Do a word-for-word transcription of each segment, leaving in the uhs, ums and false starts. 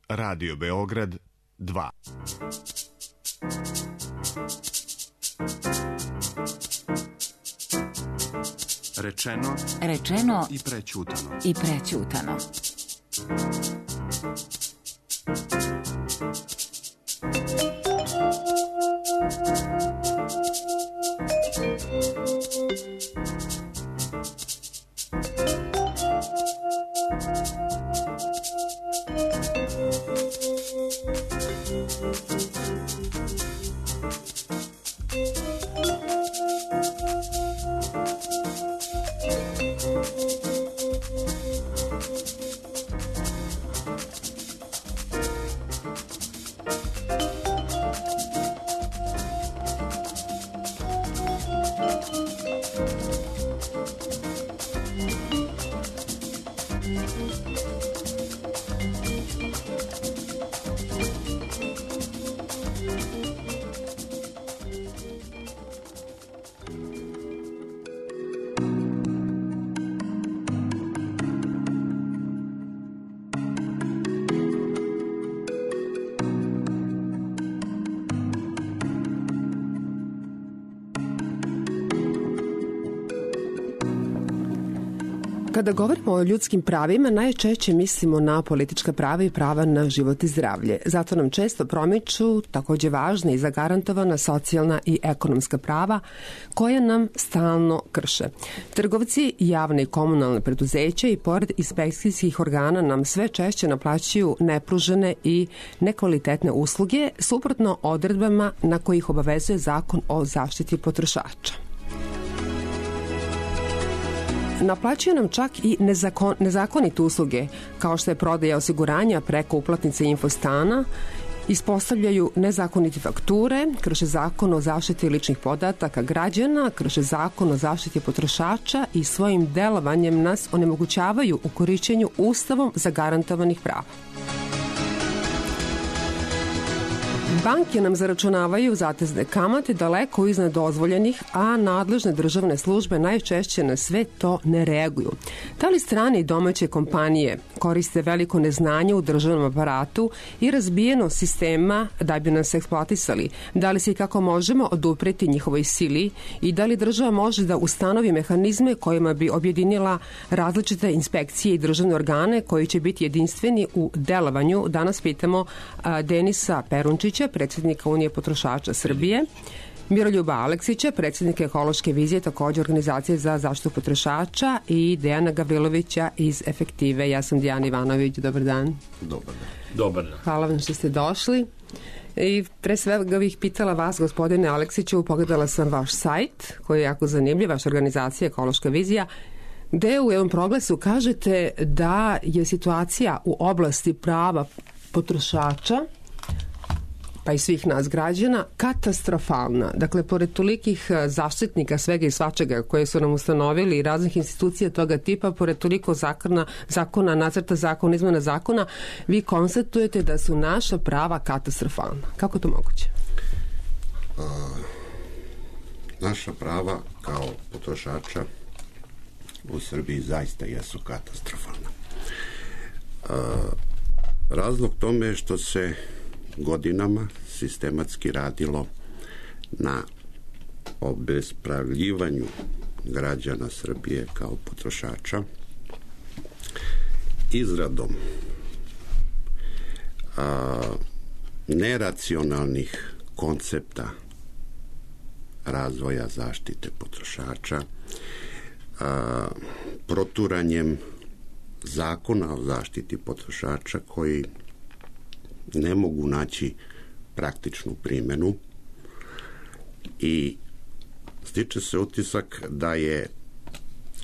Radio Beograd dva. Rečeno, rečeno i prećutano. I prećutano. Kada govorimo o ljudskim pravima, najčešće mislimo na politička prava i prava na život i zdravlje. Zato nam često promiču takođe važna i zagarantovana socijalna i ekonomska prava koja nam stalno krše. Trgovci, javne i komunalne preduzeća i pored inspekcijskih organa nam sve češće naplaćuju nepružene i nekvalitetne usluge suprotno odredbama na kojih obavezuje Zakon o zaštiti potrošača. Naplaćuju nam čak i nezakon, nezakonite usluge, kao što je prodaja osiguranja preko uplatnice Infostana, ispostavljaju nezakonite fakture, krše Zakon o zaštiti ličnih podataka građana, krše Zakon o zaštiti potrošača i svojim delovanjem nas onemogućavaju u korišćenju Ustavom zagarantovanih prava. Banke nam zaračunavaju zatezne kamate daleko iznad dozvoljenih, a nadležne državne službe najčešće na sve to ne reaguju. Da li strane i domaće kompanije koriste veliko neznanje u državnom aparatu i razbijeno sistema da bi nas eksploatisali? Da li se i kako možemo odupreti njihovoj sili i da li država može da ustanovi mehanizme kojima bi objedinila različite inspekcije i državne organe koji će biti jedinstveni u delovanju? Danas pitamo Denisa Perunčića, predsjednika Unije potrošača Srbije, Miroljuba Aleksića, predsjednika Ekološke vizije, takođe organizacije za zaštitu potrošača, i Dejana Gavrilovića iz Efektive. Ja sam Dijana Ivanović. Dobar dan. Dobar dan. Dobar dan. Hvala vam što ste došli. I pre svega bih pitala vas, gospodine Aleksiću, pogledala sam vaš sajt koji je jako zanimljiv, vaša organizacija Ekološka vizija, gde u jednom proglasu kažete da je situacija u oblasti prava potrošača pa i svih nas građana, katastrofalna. Dakle, pored tolikih zaštitnika svega i svačega koje su nam ustanovili i raznih institucija toga tipa, pored toliko zakona, zakona nacrta zakona, izmena zakona, vi konstatujete da su naša prava katastrofalna. Kako to moguće? A, naša prava kao potrošača u Srbiji zaista jesu katastrofalna. A, razlog tome je što se godinama sistematski radilo na obespravljivanju građana Srbije kao potrošača, izradom a, neracionalnih koncepta razvoja zaštite potrošača, a, proturanjem zakona o zaštiti potrošača koji ne mogu naći praktičnu primenu i stiče se utisak da je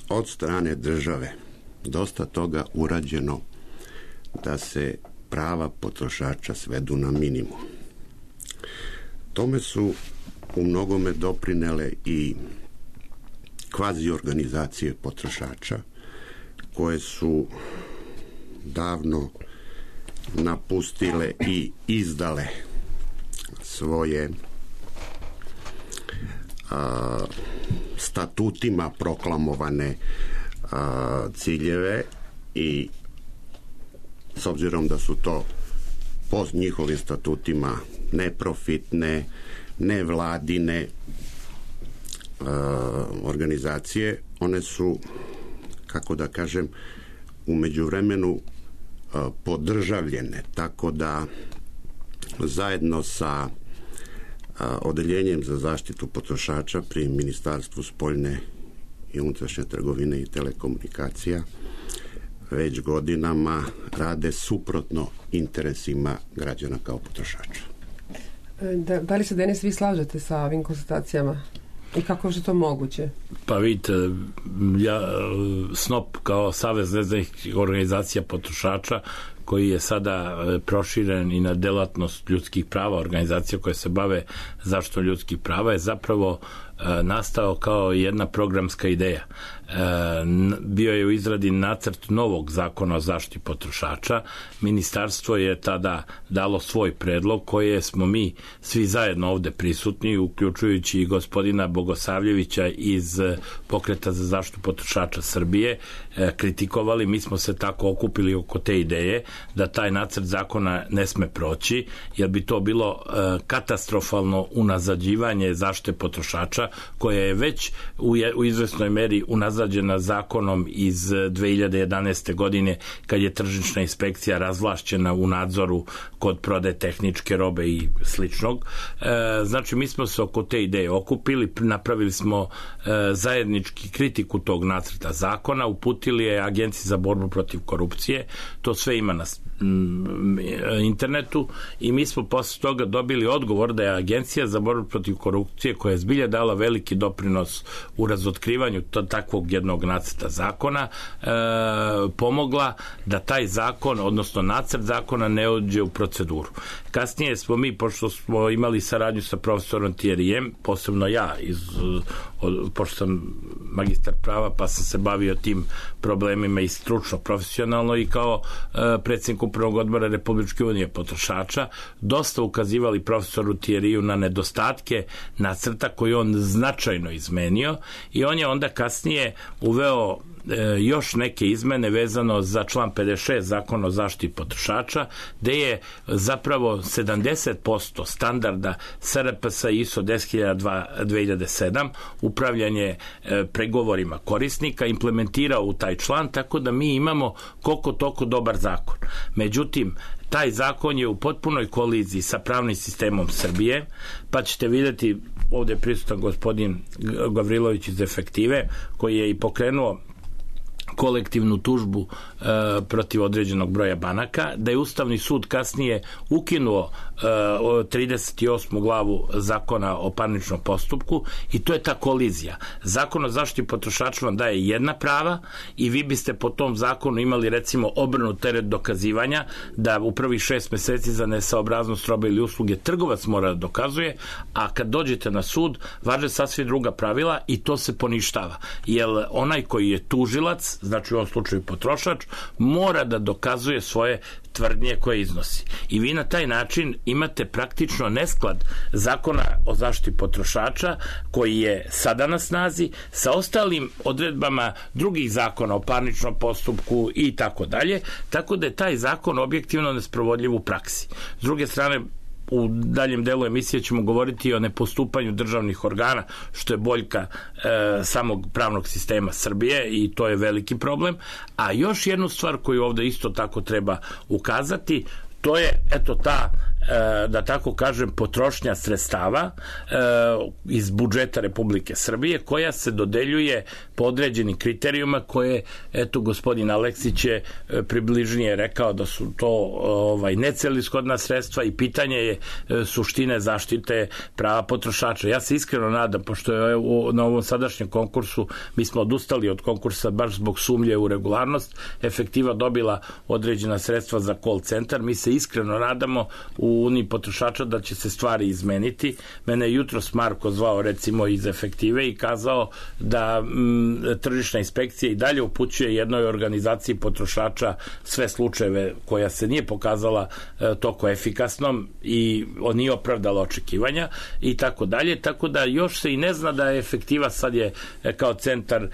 od strane države dosta toga urađeno da se prava potrošača svedu na minimum. Tome su u mnogome doprinele i kvazi organizacije potrošača koje su davno napustile i izdale svoje a, statutima proklamovane a, ciljeve i s obzirom da su to po njihovim statutima neprofitne, nevladine uh, organizacije. One su, kako da kažem, u međuvremenu uh, podržavljene, tako da zajedno sa uh, odeljenjem za zaštitu potrošača pri Ministarstvu spoljne i unutrašnje trgovine i telekomunikacija već godinama rade suprotno interesima građana kao potrošača. Da, da li se, Denis, vi slažete sa ovim konstatacijama? I kako je to moguće? Pa vidite, ja, S N O P kao Savez nezavisnih organizacija potrošača, koji je sada proširen i na delatnost ljudskih prava, organizacija koje se bave zaštitom ljudskih prava, je zapravo nastao kao jedna programska ideja. Bio je u izradi nacrt novog zakona o zaštiti potrošača. Ministarstvo je tada dalo svoj predlog koje smo mi svi zajedno ovde prisutni, uključujući i gospodina Bogosavljevića iz Pokreta za zaštitu potrošača Srbije, kritikovali. Mi smo se tako okupili oko te ideje da taj nacrt zakona ne sme proći, jer bi to bilo katastrofalno unazađivanje zaštite potrošača, koja je već u, je, u izvesnoj meri unazađena zakonom iz dve hiljade jedanaeste. godine, kad je tržišna inspekcija razvlašćena u nadzoru kod prodaje tehničke robe i sličnog. E, znači, mi smo se oko te ideje okupili, napravili smo e, zajednički kritiku tog nacrta zakona, uputili je Agenciji za borbu protiv korupcije, to sve ima na internetu, i mi smo posle toga dobili odgovor da je Agencija za borbu protiv korupcije, koja je zbilja dala veliki doprinos u razotkrivanju takvog jednog nacrta zakona, e, pomogla da taj zakon, odnosno nacrt zakona, ne uđe u proceduru. Kasnije smo mi, pošto smo imali saradnju sa profesorom Thierryjem, posebno ja, iz, od, pošto sam magistar prava, pa sam se bavio tim problemima i stručno, profesionalno, i kao e, predsjednik Upravnog odbora Republičke unije potrošača, dosta ukazivali profesoru Thierryju na nedostatke nacrta koji on značajno izmenio, i on je onda kasnije uveo još neke izmene vezano za član pedeset šest Zakona o zaštiti potrošača, gde je zapravo sedamdeset posto standarda S R P S I S O deset hiljada dva dve hiljade sedam upravljanje pregovorima korisnika implementirao u taj član, tako da mi imamo koliko toliko dobar zakon. Međutim, taj zakon je u potpunoj koliziji sa pravnim sistemom Srbije, pa ćete vidjeti, ovdje je prisutan gospodin Gavrilović iz Efektive, koji je i pokrenuo kolektivnu tužbu e, protiv određenog broja banaka, da je Ustavni sud kasnije ukinuo e, trideset osmu glavu Zakona o parničnom postupku, i to je ta kolizija. Zakon o zaštiti potrošača vam daje jedna prava i vi biste po tom zakonu imali, recimo, obrnut teret dokazivanja, da u prvih šest meseci za nesaobraznost robe ili usluge trgovac mora da dokazuje, a kad dođete na sud važe sasvim druga pravila i to se poništava. Jer onaj koji je tužilac, znači u ovom slučaju potrošač, mora da dokazuje svoje tvrdnje koje iznosi. I vi na taj način imate praktično nesklad Zakona o zaštiti potrošača, koji je sada na snazi, sa ostalim odredbama drugih zakona o parničnom postupku i tako dalje, tako da je taj zakon objektivno nesprovodljiv u praksi. S druge strane, u daljem delu emisije ćemo govoriti o nepostupanju državnih organa, što je boljka e, samog pravnog sistema Srbije, i to je veliki problem. A još jednu stvar koju ovdje isto tako treba ukazati, to je, eto, ta, e, da tako kažem, potrošnja sredstava e, iz budžeta Republike Srbije, koja se dodeljuje po određenim kriterijuma koje, eto, gospodin Aleksić je e, približnije rekao da su to ovaj, necelishodna sredstva, i pitanje je e, suštine zaštite prava potrošača. Ja se iskreno nadam, pošto je u, na ovom sadašnjem konkursu, mi smo odustali od konkursa baš zbog sumnje u regularnost, Efektiva dobila određena sredstva za call centar, mi se iskreno nadamo u u Uniji potrošača da će se stvari izmeniti. Mene je jutros Marko zvao recimo iz Efektive i kazao da m, tržišna inspekcija i dalje upućuje jednoj organizaciji potrošača sve slučajeve koja se nije pokazala e, toko efikasnom i on nije opravdala očekivanja i tako dalje, tako da još se i ne zna da je Efektiva sad je e, kao centar e,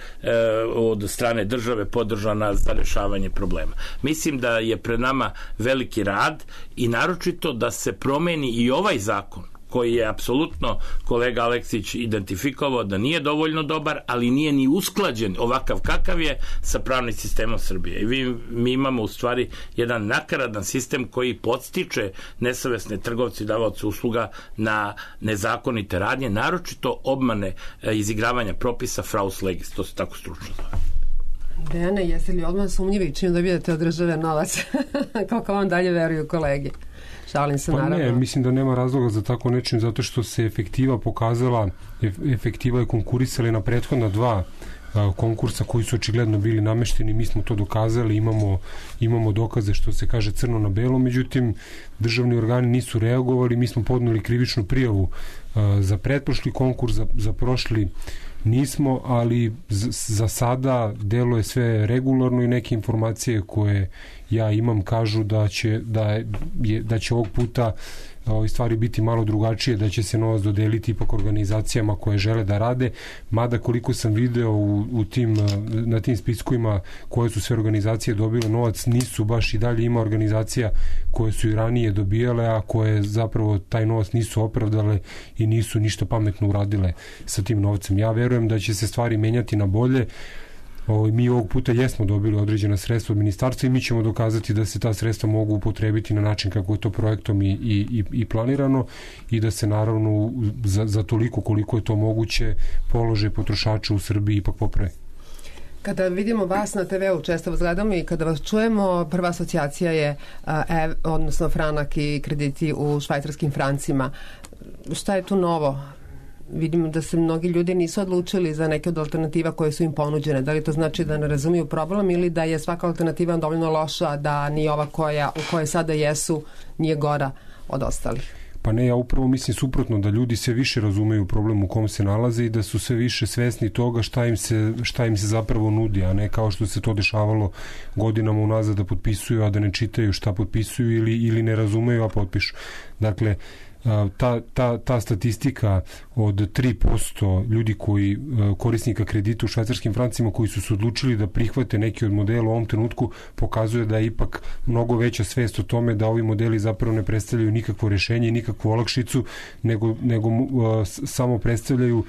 od strane države podržana za rešavanje problema. Mislim da je pred nama veliki rad i naročito da se promeni i ovaj zakon koji je apsolutno kolega Aleksić identifikovao da nije dovoljno dobar, ali nije ni usklađen ovakav kakav je sa pravnim sistemom Srbije. I vi, mi imamo u stvari jedan nakaradan sistem koji podstiče nesavesne trgovci i davaoce usluga na nezakonite radnje, naročito obmane e, izigravanja propisa fraus legis, to se tako stručno zove. Dejane, jeste li odmah sumnjivi čim dobijete od države novac? Kako vam dalje veruju kolege? Šalim se, pa naravno. Ne, mislim da nema razloga za tako nečim, zato što se Efektiva pokazala, Efektiva je konkurisala na prethodna dva a, konkursa koji su očigledno bili namešteni, mi smo to dokazali, imamo, imamo dokaze što se kaže crno na belo, međutim državni organi nisu reagovali, mi smo podneli krivičnu prijavu a, za pretprošli konkurs, za, za prošli nismo, ali za sada deluje sve regularno i neke informacije koje ja imam kažu da će, da je, da će ovog puta ove stvari biti malo drugačije, da će se novac dodeliti ipak organizacijama koje žele da rade, mada koliko sam video u, u tim, na tim spiskovima koje su sve organizacije dobile novac, nisu baš i dalje, ima organizacija koje su i ranije dobijale, a koje zapravo taj novac nisu opravdale i nisu ništa pametno uradile sa tim novcem. Ja verujem da će se stvari menjati na bolje. O, mi ovog puta jesmo dobili određena sredstva od ministarstva i mi ćemo dokazati da se ta sredstva mogu upotrebiti na način kako je to projektom i, i, i planirano i da se naravno za, za toliko koliko je to moguće položaj potrošača u Srbiji ipak popravi. Kada vidimo vas na te veu, često vas gledamo i kada vas čujemo, prva asocijacija je ev, odnosno franak i krediti u švajcarskim francima. Šta je tu novo? Vidimo da se mnogi ljudi nisu odlučili za neke od alternativa koje su im ponuđene. Da li to znači da ne razumiju problem ili da je svaka alternativa dovoljno loša, da ni ova koja, u kojoj sada jesu nije gora od ostalih? Pa ne, ja upravo mislim suprotno, da ljudi sve više razumeju problem u kom se nalaze i da su sve više svesni toga šta im se, šta im se zapravo nudi, a ne kao što se to dešavalo godinama unazad da potpisuju, a da ne čitaju šta potpisuju ili, ili ne razumeju, a potpišu. Dakle, Ta, ta, ta statistika od tri posto ljudi koji korisnika kredita u švajcarskim francima koji su se odlučili da prihvate neki od modela u ovom trenutku pokazuje da je ipak mnogo veća svest o tome da ovi modeli zapravo ne predstavljaju nikakvo rešenje i nikakvu olakšicu, nego, nego uh, samo predstavljaju uh,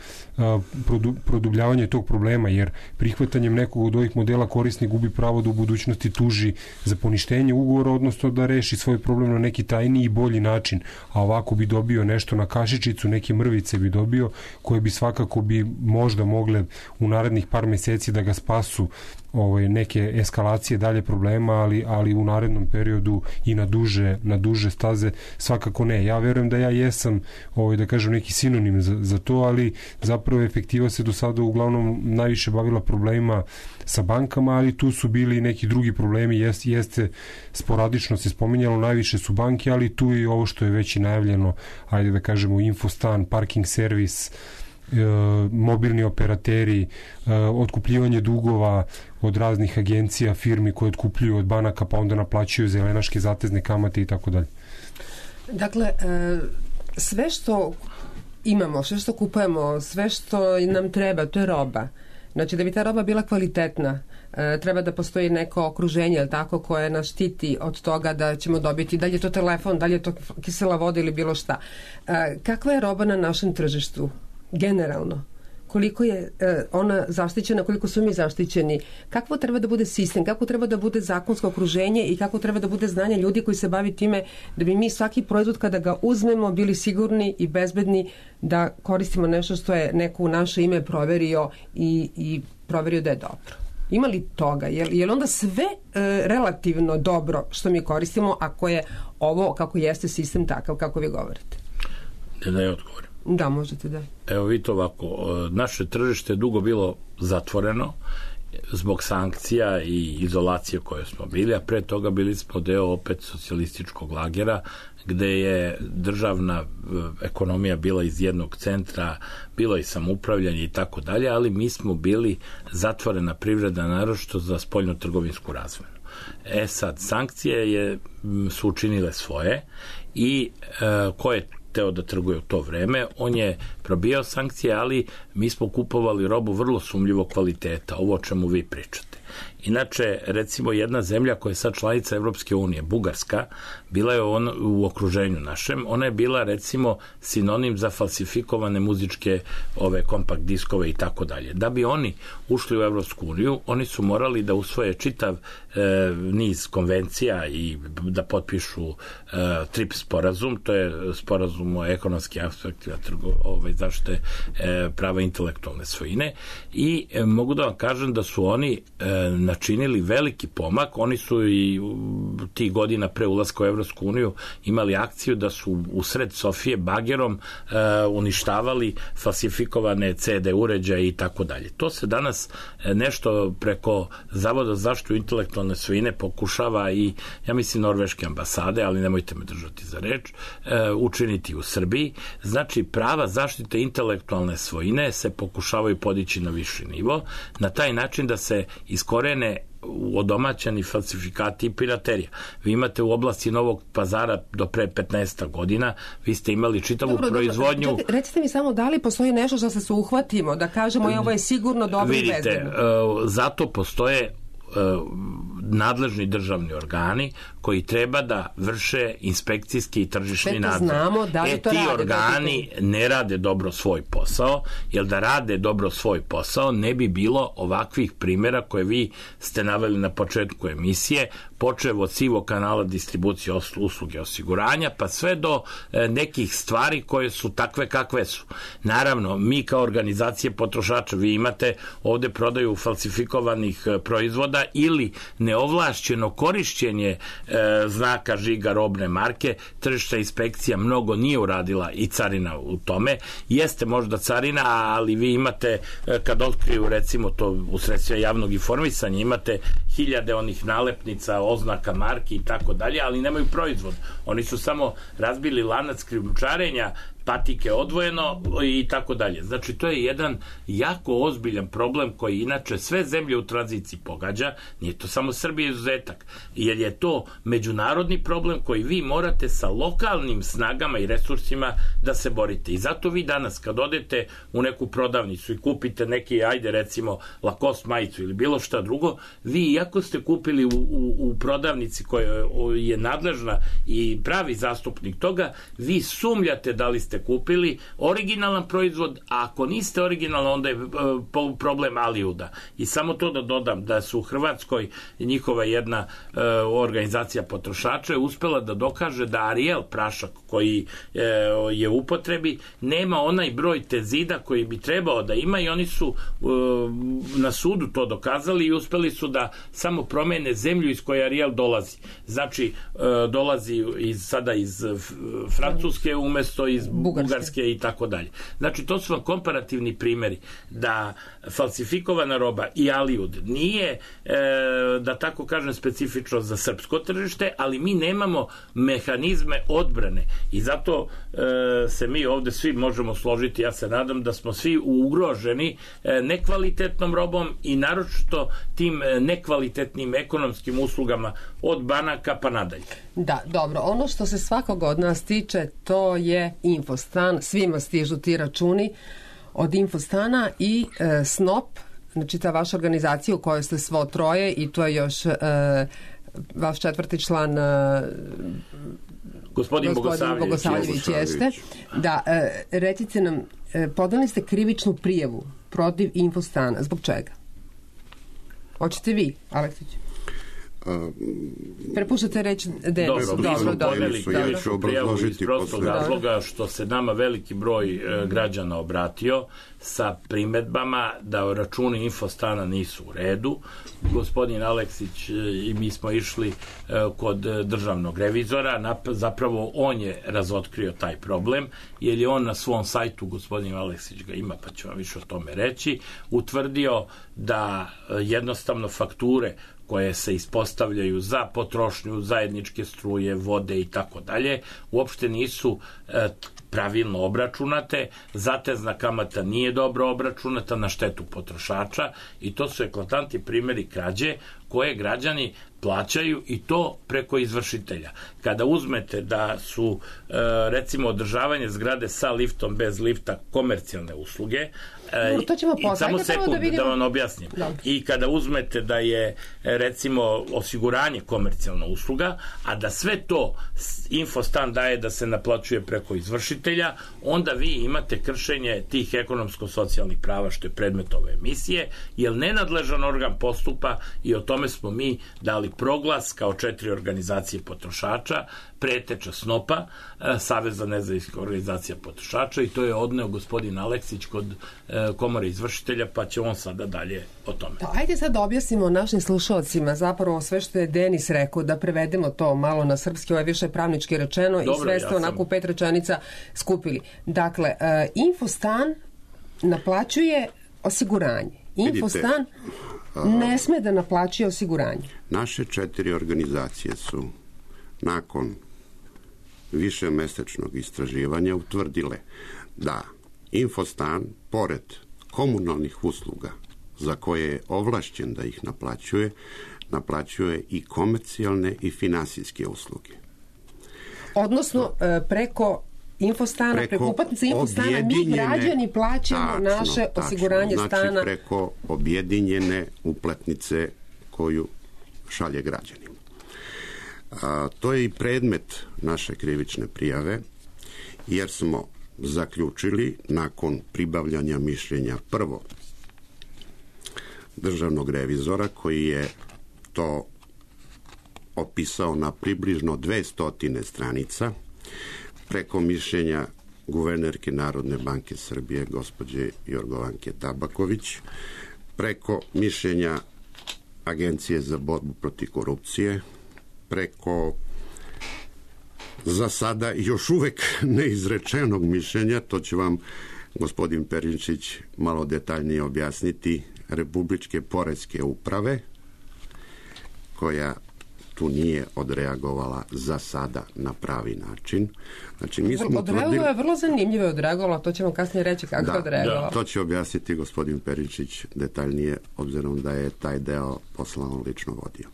produ, produbljavanje tog problema, jer prihvatanjem nekog od ovih modela korisnik gubi pravo da u budućnosti tuži za poništenje ugovora, odnosno da reši svoj problem na neki tajniji i bolji način, a ovako bi dobio nešto na kašičicu, neke mrvice bi dobio, koje bi svakako bi možda mogle u narednih par meseci da ga spasu ovaj, neke eskalacije dalje problema, ali, ali u narednom periodu i na duže, na duže staze svakako ne. Ja verujem da ja jesam ovaj, da kažem neki sinonim za, za to, ali zapravo Efektiva se do sada uglavnom najviše bavila problemima sa bankama, ali tu su bili neki drugi problemi, jest, jeste sporadično se spominjalo, najviše su banke, ali tu je ovo što je već i najavljeno, ajde da kažemo infostan, parking servis, e, mobilni operateri, e, otkupljivanje dugova od raznih agencija, firmi koje otkupljuju od banaka pa onda naplaćuju zelenaške zatezne kamate i tako dalje. Dakle, e, sve što imamo, sve što kupujemo, sve što nam treba, to je roba. Znači, da bi ta roba bila kvalitetna, e, treba da postoji neko okruženje, ili tako, koje nas štiti od toga da ćemo dobiti, da li je to telefon, da li je to kisela voda ili bilo šta. E, kakva je roba na našem tržištu, generalno? Koliko je e, ona zaštićena, koliko su mi zaštićeni, kako treba da bude sistem, kako treba da bude zakonsko okruženje i kako treba da bude znanje ljudi koji se bavi time, da bi mi svaki proizvod kada ga uzmemo bili sigurni i bezbedni da koristimo nešto što je neko u naše ime proverio i, i proverio da je dobro. Ima li toga? Je, je li onda sve e, relativno dobro što mi koristimo ako je ovo, kako jeste sistem takav kako vi govorite? Ne da je odgovorim. Da, možete da. Evo vidite ovako, naše tržište je dugo bilo zatvoreno zbog sankcija i izolacije koje smo bili, a pre toga bili smo deo opet socijalističkog lagera, gde je državna ekonomija bila iz jednog centra, bilo i samoupravljanje i tako dalje, ali mi smo bili zatvorena privreda, naročito za spoljno-trgovinsku razmenu. E sad, sankcije je, su učinile svoje i e, ko je teo da trguje u to vreme, on je probijao sankcije, ali mi smo kupovali robu vrlo sumnjivog kvaliteta, ovo o čemu vi pričate. Inače, recimo, jedna zemlja koja je sad članica Evropske unije, Bugarska, bila je on, u okruženju našem, ona je bila, recimo, sinonim za falsifikovane muzičke ove kompakt diskove i tako dalje. Da bi oni ušli u Evropsku uniju, oni su morali da usvoje čitav e, niz konvencija i da potpišu e, TRIPS sporazum, to je sporazum o ekonomskim aspektima ove, zaštite e, prava intelektualne svojine, i e, mogu da vam kažem da su oni e, načinili veliki pomak. Oni su i ti godina pre ulaska u Evropsku uniju imali akciju da su u sred Sofije bagerom e, uništavali falsifikovane ce de uređaje i tako dalje. To se danas e, nešto preko Zavoda za zaštitu intelektualne svojine pokušava i, ja mislim, norveške ambasade, ali nemojte me držati za reč, e, učiniti u Srbiji. Znači, prava zaštite intelektualne svojine se pokušavaju podići na viši nivo, na taj način da se iskorene odomaćeni falsifikati i piraterija. Vi imate u oblasti Novog Pazara do pre petnaest godina, vi ste imali čitavu dobro, proizvodnju... Dobro, recite mi samo da li postoji nešto što se uhvatimo, da kažemo je ovo je sigurno dobro i bezbedno. Vidite, zato postoje nadležni državni organi koji treba da vrše inspekcijski i tržišni nadzor. Znamo, da li e, to ti rade, organi da ne rade dobro svoj posao, jer da rade dobro svoj posao ne bi bilo ovakvih primjera koje vi ste naveli na početku emisije, počev od sivog kanala distribucije usluge osiguranja, pa sve do e, nekih stvari koje su takve kakve su. Naravno, mi kao organizacije potrošača, vi imate ovde prodaju falsifikovanih e, proizvoda ili neovlašćeno korišćenje e, znaka žiga robne marke. Tržišna inspekcija mnogo nije uradila i carina u tome. Jeste možda carina, ali vi imate, e, kad otkriju recimo to u sredstvima javnog informisanja, imate hiljade onih nalepnica, oznaka marki i tako dalje, ali nemaju proizvod. Oni su samo razbili lanac krijumčarenja, patike odvojeno i tako dalje. Znači, to je jedan jako ozbiljan problem koji inače sve zemlje u tranziciji pogađa, nije to samo Srbija izuzetak, jer je to međunarodni problem koji vi morate sa lokalnim snagama i resursima da se borite. I zato vi danas kad odete u neku prodavnicu i kupite neki, ajde recimo Lacoste majicu ili bilo šta drugo, vi iako ste kupili u, u, u prodavnici koja je nadležna i pravi zastupnik toga, vi sumljate da li ste kupili originalan proizvod, a ako niste originalan, onda je uh, problem Aliuda. I samo to da dodam, da su u Hrvatskoj njihova jedna uh, organizacija potrošača je uspela da dokaže da Ariel prašak koji uh, je u upotrebi nema onaj broj tenzida koji bi trebao da ima, i oni su uh, na sudu to dokazali i uspeli su da samo promene zemlju iz koje Ariel dolazi. Znači, uh, dolazi iz, sada iz Francuske umesto iz Bugarske, Bugarske i tako dalje. Znači, to su vam komparativni primjeri da falsifikovana roba i Aliud nije, e, da tako kažem, specifično za srpsko tržište, ali mi nemamo mehanizme odbrane i zato e, se mi ovde svi možemo složiti, ja se nadam da smo svi ugroženi e, nekvalitetnom robom i naročito tim nekvalitetnim ekonomskim uslugama od banaka pa nadalje. Da, dobro. Ono što se svakog od nas tiče, to je Infostan. Svima stižu ti računi od Infostana i e, Snop, znači ta vaša organizacija u kojoj ste svo troje i to je još e, vaš četvrti član e, gospodin, gospodin Bogosavljević jeste. Da, e, recite nam, e, podali ste krivičnu prijavu protiv Infostana. Zbog čega? Hoćete vi, Aleksić? Prepuštate reći Denis. Dobro, mi smo podeli krivičnu prijavu iz prostog razloga što se nama veliki broj e, građana obratio sa primedbama da računi Infostana nisu u redu. Gospodin Aleksić e, i mi smo išli e, kod državnog revizora, Nap, zapravo on je razotkrio taj problem, jer je on na svom sajtu, gospodin Aleksić ga ima, pa ću vam više o tome reći, utvrdio da e, jednostavno fakture koje se ispostavljaju za potrošnju zajedničke struje, vode i tako dalje, uopšte nisu e, pravilno obračunate, zatezna kamata nije dobro obračunata na štetu potrošača i to su eklatantni primjeri krađe koje građani plaćaju i to preko izvršitelja. Kada uzmete da su e, recimo održavanje zgrade sa liftom, bez lifta komercijalne usluge, e, no, to ćemo i samo sekund da, vidimo... da vam objasnim. Dobre. I kada uzmete da je recimo osiguranje komercijalna usluga, a da sve to Infostan daje da se naplaćuje preko izvršitelja, onda vi imate kršenje tih ekonomsko-socijalnih prava što je predmet ove emisije, jer nenadležan organ postupa i o tome smo mi dali proglas kao četiri organizacije potrošača, preteča SNOP-a, Saveza nezavisnih organizacija potrošača, i to je odneo gospodin Aleksić kod komore izvršitelja, pa će on sada dalje o tome. Da, ajde sad da objasnimo našim slušalcima zapravo sve što je Denis rekao, da prevedemo to malo na srpski, ovo je više pravnički rečeno. Dobro, i sve ste ja onako sam... pet rečenica skupili. Dakle, uh, Infostan naplaćuje osiguranje. Infostan Vidite, ne sme da naplaćuje osiguranje. Naše četiri organizacije su nakon višemesečnog istraživanja utvrdile da Infostan, pored komunalnih usluga za koje je ovlašćen da ih naplaćuje, naplaćuje i komercijalne i finansijske usluge. Odnosno, preko Infostana, preko, preko uplatnice Infostana, mi građani plaćamo tačno, naše tačno, osiguranje znači stana. Znači preko objedinjene uplatnice koju šalje građanima. A, to je i predmet naše krivične prijave, jer smo zaključili nakon pribavljanja mišljenja prvo državnog revizora koji je to opisao na približno dvesta stranica, preko mišljenja guvernerke Narodne banke Srbije gospođe Jorgovanke Tabaković, preko mišljenja Agencije za borbu protiv korupcije, preko za sada još uvek neizrečenog mišljenja, to će vam gospodin Perinčić malo detaljnije objasniti, Republičke poreske uprave, koja tu nije odreagovala za sada na pravi način. Znači, mi smo odreagovala je vrlo zanimljivo odreagovala, to ćemo kasnije reći kako da, je odreagovala. Da, to će objasniti gospodin Perinčić detaljnije, obzirom da je taj deo posla on lično vodio.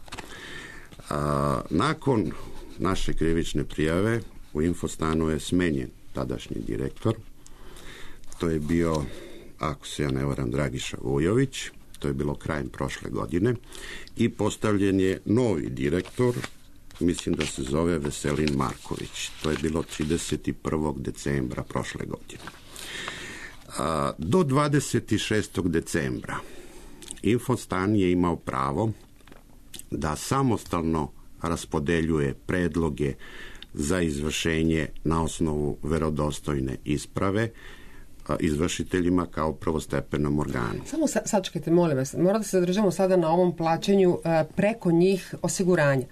A, nakon naše krivične prijave u Infostanu je smenjen tadašnji direktor. To je bio, ako se ja ne varam, Dragiša Vujović. To je bilo krajem prošle godine. I postavljen je novi direktor, mislim da se zove Veselin Marković. To je bilo trideset prvog decembra prošle godine. A, do dvadeset šestog decembra Infostan je imao pravo da samostalno raspodeljuje predloge za izvršenje na osnovu verodostojne isprave izvršiteljima kao prvostepenom organu. Samo sa, sačekajte, molim vas, mora da se zadržamo sada na ovom plaćanju uh, preko njih osiguranja.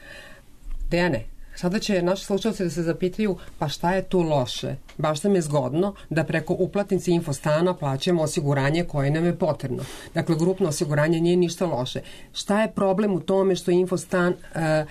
Dejane, sada će naši slušalci da se zapitaju, pa šta je tu loše? Baš nam je zgodno da preko uplatnice Infostana plaćamo osiguranje koje nam je potrebno. Dakle, grupno osiguranje nije ništa loše. Šta je problem u tome što Infostan uh,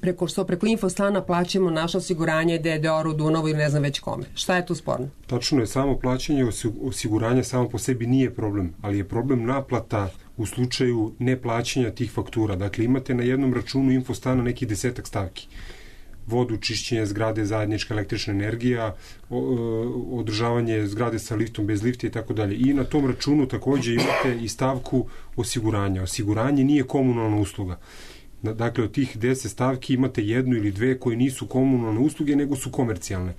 preko što preko Infostana plaćamo naše osiguranje D D O-u, Dunavu ili ne znam već kome. Šta je tu sporno? Tačno je, samo plaćanje osiguranja samo po sebi nije problem, ali je problem naplata u slučaju neplaćanja tih faktura. Dakle, imate na jednom računu Infostana neki desetak stavki. Vodu, čišćenje zgrade, zajednička električna energija, održavanje zgrade sa liftom, bez lifta i tako dalje. I na tom računu takođe imate i stavku osiguranja. Osiguranje nije komunalna usluga. Dakle, od tih deset stavki imate jednu ili dve koje nisu komunalne usluge, nego su komercijalne.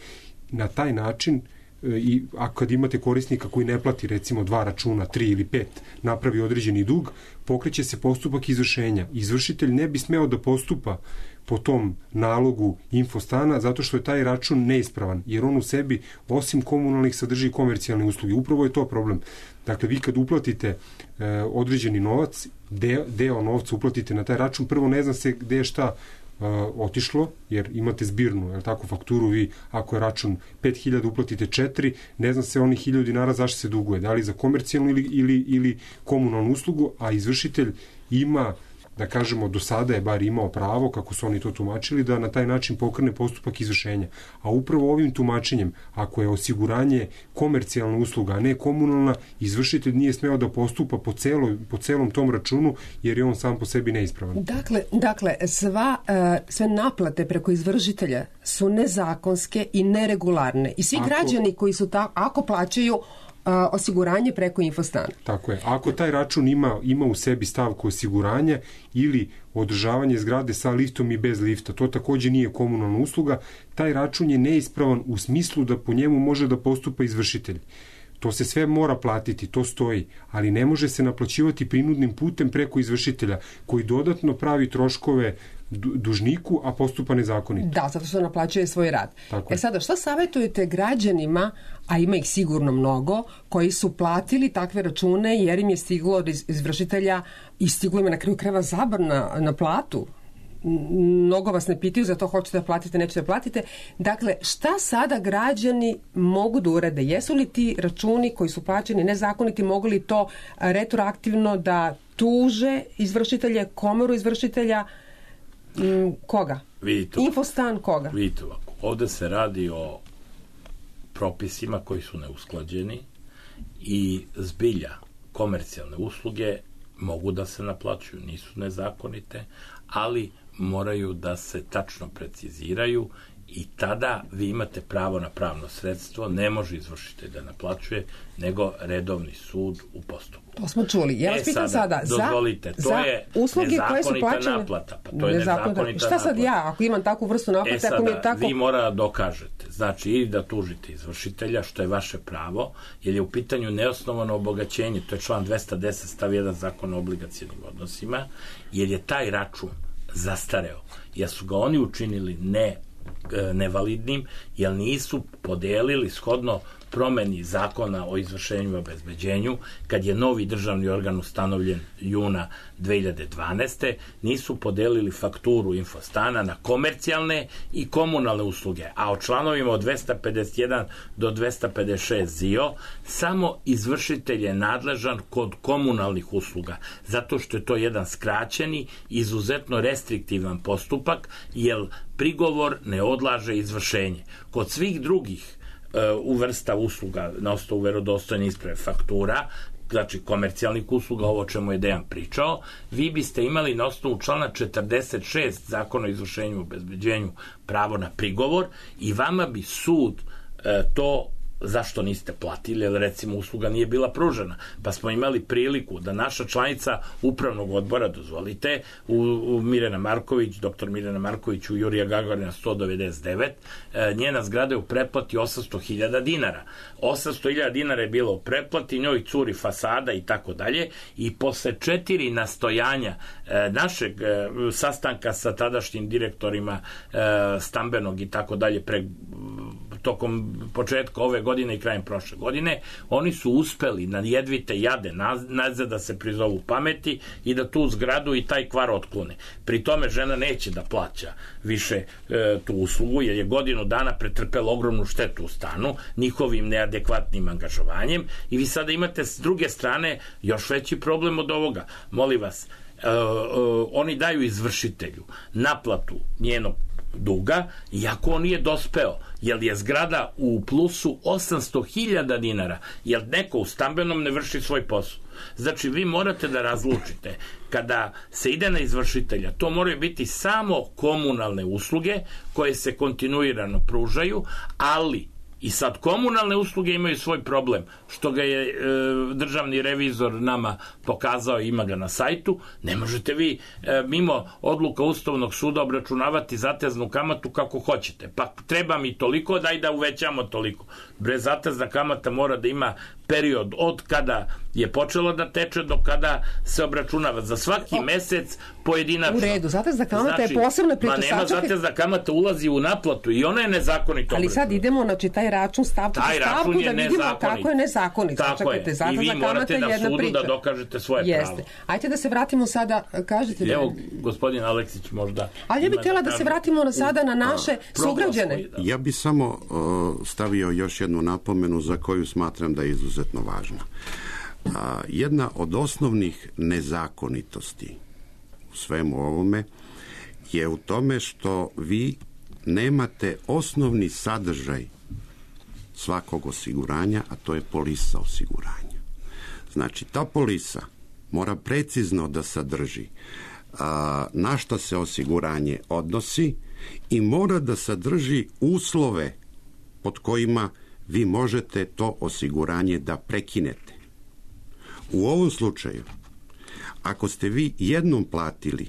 Na taj način i a kad imate korisnika koji ne plati recimo dva računa, tri ili pet, napravi određeni dug, pokreće se postupak izvršenja. Izvršitelj ne bi smeo da postupa po tom nalogu Infostana zato što je taj račun neispravan, jer on u sebi osim komunalnih sadrži komercijalne usluge. Upravo je to problem. Dakle, vi kad uplatite e, određeni novac, deo, deo novca uplatite na taj račun, prvo ne zna se gde je šta Uh, otišlo, jer imate zbirnu, je tako, fakturu, vi ako je račun pet hiljada uplatite četiri, ne zna se onih hiljadu dinara zašto se duguje, da li za komercijalnu ili, ili, ili komunalnu uslugu, a izvršitelj ima, da kažemo, do sada je bar imao pravo, kako su oni to tumačili, da na taj način pokrene postupak izvršenja. A upravo ovim tumačenjem, ako je osiguranje komercijalna usluga, a ne komunalna, izvršitelj nije smeo da postupa po, celo, po celom tom računu, jer je on sam po sebi neispravan. Dakle, dakle sva, uh, sve naplate preko izvršitelja su nezakonske i neregularne. I svi ako, građani koji su tako, ako plaćaju A, osiguranje preko Infostana. Tako je. Ako taj račun ima, ima u sebi stavku osiguranja ili održavanje zgrade sa liftom i bez lifta, to takođe nije komunalna usluga, taj račun je neispravan u smislu da po njemu može da postupa izvršitelj. To se sve mora platiti, to stoji, ali ne može se naplaćivati prinudnim putem preko izvršitelja, koji dodatno pravi troškove dužniku, a postupa nezakonito. Da, zato što naplaćuje svoj rad. Tako e sada, šta savjetujete građanima, a ima ih sigurno mnogo, koji su platili takve račune jer im je stiglo od izvršitelja i stiglo im je na kraju krajeva zabrana na platu? Mnogo vas ne pitaju, za to hoćete da platite, nećete da platite. Dakle, šta sada građani mogu da urade? Jesu li ti računi koji su plaćeni nezakoniti, mogu li to retroaktivno da tuže izvršitelje, komoru izvršitelja, koga? Vidite, Infostan koga? Vidite ovako, ovde se radi o propisima koji su neusklađeni i zbilja komercijalne usluge mogu da se naplaćuju, nisu nezakonite, ali moraju da se tačno preciziraju i tada vi imate pravo na pravno sredstvo, ne može izvršitelj da naplaćuje, nego redovni sud u postupku. To smo čuli. Ja vas e, pitam sada, sada dozvolite, za, to je usluge koje su plaćene, naplata. Pa to je nezakonita naplata. Šta sad ja, ako imam takvu vrstu naplate, e, sada, ako mi je tako... vi mora da dokažete, znači ili da tužite izvršitelja, što je vaše pravo, jer je u pitanju neosnovano obogaćenje, to je član dvesta deset stav jedan Zakona o obligacionim odnosima, jer je taj račun zastareo, jer su ga oni učinili ne nevalidnim, jer nisu podelili shodno promeni zakona o izvršenju i obezbeđenju, kad je novi državni organ ustanovljen juna dve hiljade dvanaeste. nisu podelili fakturu Infostana na komercijalne i komunalne usluge, a o članovima od dvesta pedeset jedan do dvesta pedeset šest Z I O samo izvršitelj je nadležan kod komunalnih usluga, zato što je to jedan skraćeni, izuzetno restriktivan postupak, jer prigovor ne odlaže izvršenje. Kod svih drugih u vrsta usluga na osnovu verodostojne isprave faktura, znači komercijalnih usluga, ovo čemu je Dejan pričao, vi biste imali na osnovu člana četrdeset šest Zakona o izvršenju i obezbeđenju pravo na prigovor i vama bi sud e, to zašto niste platili, jer recimo usluga nije bila pružena, pa smo imali priliku da naša članica upravnog odbora, dozvolite, u, u Mirjana Marković, doktor Mirjana Marković u Jurija Gagarina sto devedeset devet, e, njena zgrada je u pretplati osamsto hiljada dinara. osamsto hiljada dinara je bilo u pretplati, njoj curi fasada i tako dalje, i posle četiri nastojanja e, našeg e, sastanka sa tadašnjim direktorima e, stambenog i tako dalje pre tokom početka ove godine i krajem prošle godine, oni su uspeli na jedvite jade nazad da se prizovu pameti i da tu zgradu i taj kvar otklone. Pri tome žena neće da plaća više e, tu uslugu, jer je godinu dana pretrpela ogromnu štetu u stanu njihovim neadekvatnim angažovanjem, i vi sada imate s druge strane još veći problem od ovoga. Molim vas, e, e, oni daju izvršitelju naplatu njenog duga, iako on nije dospeo, jer je zgrada u plusu osamsto hiljada dinara, jer neko u stambenom ne vrši svoj posao. Znači, vi morate da razlučite, kada se ide na izvršitelja, to moraju biti samo komunalne usluge koje se kontinuirano pružaju, ali I sad komunalne usluge imaju svoj problem, što ga je e, državni revizor nama pokazao, ima ga na sajtu. Ne možete vi e, mimo odluka Ustavnog suda obračunavati zateznu kamatu kako hoćete. Pa treba mi toliko, daj da uvećamo toliko. Bre, zatezna kamata mora da ima period od kada je počelo da teče do kada se obračunava. Za svaki o, mesec pojedinačno. U redu, zatezna kamata znači, je posebna priča. Ma nema zatezna kamata, ulazi u naplatu i ona je nezakonito. Ali sad idemo, znači, taj račun stavku taj stavku račun da vidimo nezakonit. Kako je nezakonit. Tako Čekajte, je. I vi morate na sudu priča. da dokažete svoje Jeste. pravo. Ajde da se vratimo sada, kažete da... Evo, gospodin Aleksić možda... Ali ja bih htjela da, da se vratimo na sada na naše a, sugrađane. Da. Ja bih samo uh, stavio još jednu napomenu za koju smatram da je izuzetno važna. A, jedna od osnovnih nezakonitosti u svemu ovome je u tome što vi nemate osnovni sadržaj svakog osiguranja, a to je polisa osiguranja. Znači, ta polisa mora precizno da sadrži a, na šta se osiguranje odnosi i mora da sadrži uslove pod kojima vi možete to osiguranje da prekinete. U ovom slučaju, ako ste vi jednom platili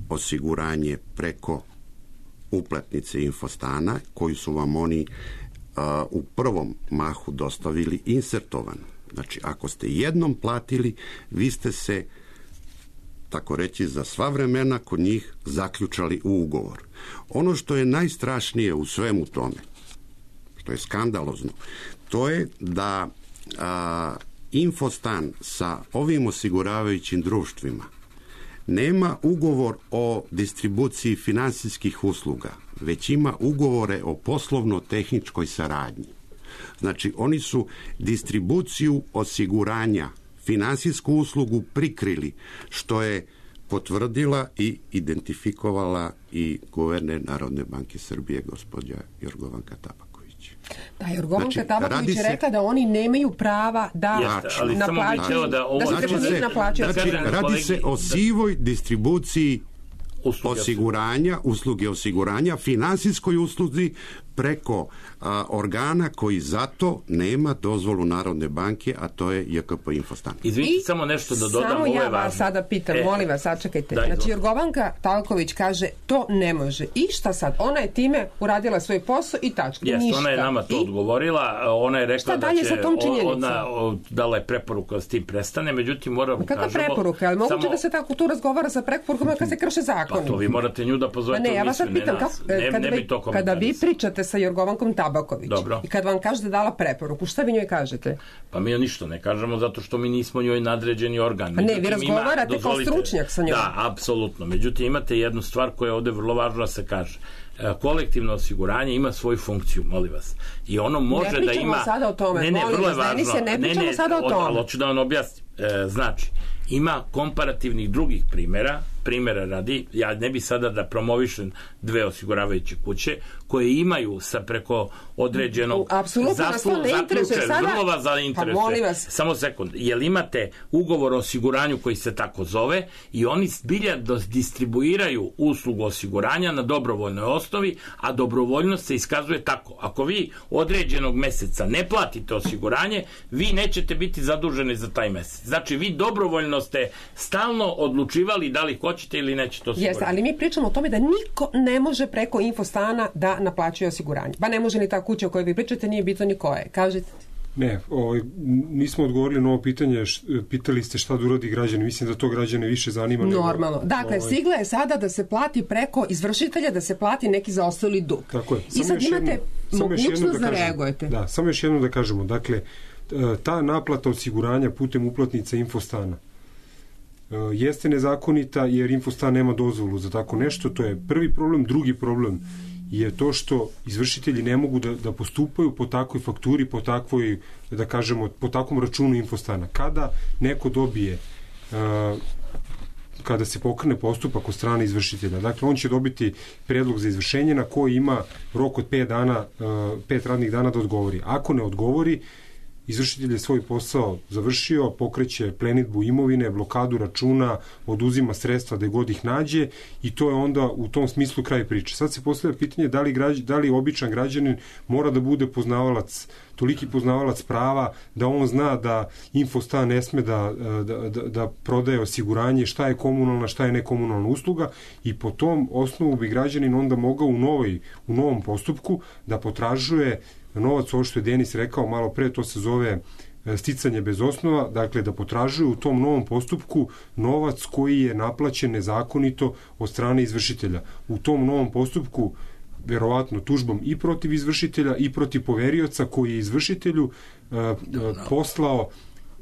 osiguranje preko uplatnice Infostana, koju su vam oni uh, u prvom mahu dostavili insertovano. Znači, ako ste jednom platili, vi ste se, tako reći, za sva vremena kod njih zaključali u ugovor. Ono što je najstrašnije u svemu tome, što je skandalozno, to je da uh, Infostan sa ovim osiguravajućim društvima nema ugovor o distribuciji finansijskih usluga, već ima ugovore o poslovno-tehničkoj saradnji. Znači, oni su distribuciju osiguranja, finansijsku uslugu prikrili, što je potvrdila i identifikovala i guverner Narodne banke Srbije, gospođa Jorgovanka Tabaković. Da, Jorgovanka znači, Tabaković je se... rekla da oni nemaju prava da naplaćuju, da, ovo, da se preko njih naplaćuju. Znači, radi se o sivoj distribuciji usluge osiguranja, usluge osiguranja, finansijskoj usluzi preko a, organa koji zato nema dozvolu Narodne banke, a to je J K P Infostan. Izvinite, samo nešto da dodam, samo ovo je ja važno. vas sada pitam, e, molim vas, sačekajte. Daj, znači, Jorgovanka Tabaković kaže, to ne može. I šta sad? Ona je time uradila svoj posao i tačka. Jeste, ništa. Ona je nama to I? odgovorila, ona je rekla da će, ona dala je preporuku da s tim prestane, međutim, moramo kažemo... Kakva preporuka? Ali moguće samo... da se tako tu razgovara sa preporukama kad se krše zakoni? Pa to vi morate nju da pozovete pa ne, u ja vas sad pitam, kako, ne, kada, ne vi, to kada vi pričate sa Jorgovankom Tabaković Dobro. i kad vam kaže da dala preporuku, šta vi njoj kažete? Pa mi joj ništa ne kažemo zato što mi nismo njoj nadređeni organ. A ne, vi razgovarate ima, kao stručnjak sa njom. Da, apsolutno. Međutim, imate jednu stvar koja je ovde vrlo važno da se kaže. Kolektivno osiguranje ima svoju funkciju, molim vas. I ono može da ima... Ne pričamo sada o tome, ne, ne, molim vrlo je vas, važno. ne, ne pričamo ne, ne, sada o tome. Ali hoću da vam objasnim. E, znači, ima komparativnih drugih primjera, primjera radi, ja ne bi sada da promovišem dve osiguravajuće kuće, koje imaju sa preko određenog zaslu, zaključe, vrlo vas zainteresuje. Pa samo sekund, jel imate ugovor o osiguranju koji se tako zove i oni zbilja distribuiraju uslugu osiguranja na dobrovoljnoj osnovi, a dobrovoljnost se iskazuje tako. Ako vi određenog meseca ne platite osiguranje, vi nećete biti zaduženi za taj mesec. Znači, vi dobrovoljno ste stalno odlučivali da li hoćete ili nećete osiguranje. Jeste, ali mi pričamo o tome da niko ne može preko Infostana da naplaćuje osiguranje. Pa ne može ni ta kuća o kojoj vi pričate, nije bitno ni koje. Kažete? Ne, ovaj, nismo odgovorili na ovo pitanje, š, pitali ste šta da uradi građani, mislim da to građane više zanima. Normalno. Nego, dakle, ovaj... stigla je sada da se plati preko izvršitelja, da se plati neki zaostali dug. Tako je. I sad imate mogućnost da reagujete. Da, samo još jedno da kažemo. Dakle, ta naplata osiguranja putem uplatnica Infostana jeste nezakonita jer Infostan nema dozvolu za tako nešto, to je prvi problem. Drugi problem je to što izvršitelji ne mogu da, da postupaju po takvoj fakturi, po takvoj, da kažemo, po takvom računu Infostana. Kada neko dobije uh, kada se pokrene postupak od strane izvršitelja, dakle on će dobiti predlog za izvršenje na koji ima rok od pet dana, uh, pet radnih dana da odgovori. Ako ne odgovori, izvršitelj je svoj posao završio, pokreće plenidbu imovine, blokadu računa, oduzima sredstva gde god ih nađe i to je onda u tom smislu kraj priče. Sad se postavlja pitanje da li, građ, da li običan građanin mora da bude poznavalac, toliki poznavalac prava da on zna da Infostan ne sme da, da, da, da prodaje osiguranje, šta je komunalna, šta je nekomunalna usluga i po tom osnovu bi građanin onda mogao u, novoj, u novom postupku da potražuje novac, ovo što je Denis rekao malo pre, to se zove sticanje bez osnova, dakle da potražuju u tom novom postupku novac koji je naplaćen nezakonito od strane izvršitelja. U tom novom postupku verovatno tužbom i protiv izvršitelja i protiv poverioca koji je izvršitelju uh, uh, poslao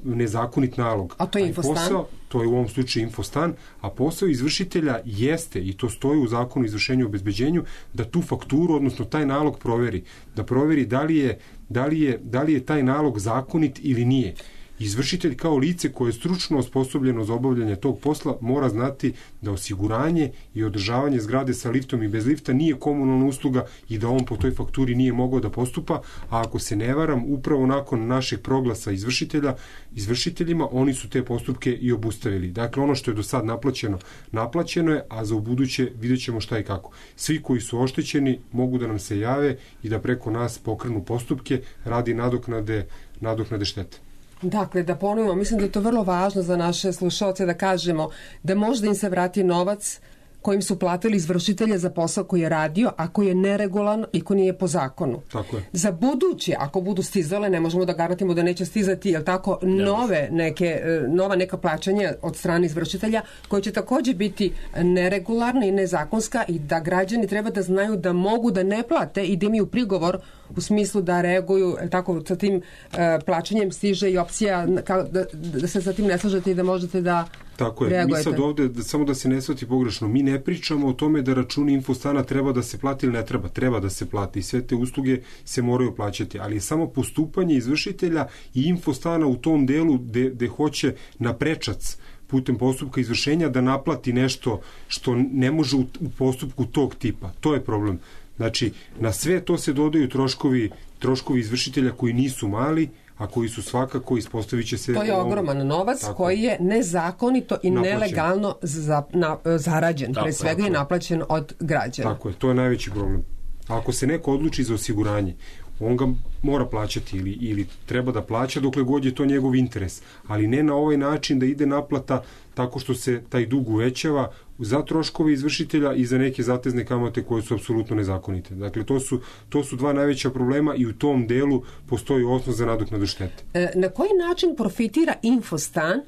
nezakonit nalog. A to je Infostan? Posao, to je u ovom slučaju Infostan, a posao izvršitelja jeste, i to stoji u zakonu o izvršenju i obezbeđenju, da tu fakturu, odnosno taj nalog proveri. Da proveri da li je, da li je, da li je taj nalog zakonit ili nije. Izvršitelj kao lice koje je stručno osposobljeno za obavljanje tog posla mora znati da osiguranje i održavanje zgrade sa liftom i bez lifta nije komunalna usluga i da on po toj fakturi nije mogao da postupa, a ako se ne varam, upravo nakon našeg proglasa izvršitelja, izvršiteljima, oni su te postupke i obustavili. Dakle, ono što je do sad naplaćeno, naplaćeno je, a za ubuduće vidjet ćemo šta i kako. Svi koji su oštećeni mogu da nam se jave i da preko nas pokrenu postupke radi nadoknade, nadoknade štete. Dakle, da ponovimo, mislim da je to vrlo važno za naše slušalce da kažemo da možda im se vrati novac kojim su platili izvršitelja za posao koji je radio, a koji je neregulan i koji nije po zakonu. Tako je. Za buduće, ako budu stizale, ne možemo da garantimo da neće stizati, jel tako, nove neke, nova neka plaćanja od strane izvršitelja, koje će takođe biti neregularna i nezakonska i da građani treba da znaju da mogu da ne plate i da imaju prigovor u smislu da reaguju, tako, sa tim uh, plaćanjem stiže i opcija kao, da, da se sa tim ne slažete i da možete da tako je. reagujete. Mi sad ovde, da, samo da se ne shvati pogrešno, mi ne pričamo o tome da računi Infostana treba da se plati ili ne treba, treba da se plati i sve te usluge se moraju plaćati, ali je samo postupanje izvršitelja i Infostana u tom delu gde, gde hoće na prečac putem postupka izvršenja da naplati nešto što ne može u, u postupku tog tipa. To je problem. Znači, na sve to se dodaju troškovi, troškovi izvršitelja koji nisu mali, a koji su svakako, ispostavit će se... To je ogroman novac tako, koji je nezakonito i naplaćen. Nelegalno za, na, zarađen, tako, pre svega tako, i naplaćen od građana. Tako je, to je najveći problem. A ako se neko odluči za osiguranje, on ga mora plaćati ili, ili treba da plaća dokle god je to njegov interes, ali ne na ovaj način da ide naplata tako što se taj dug uvećava za troškove izvršitelja i za neke zatezne kamate koje su apsolutno nezakonite. Dakle, to su, to su dva najveća problema i u tom delu postoji osnov za nadoknadu štete. E, na koji način profitira Infostan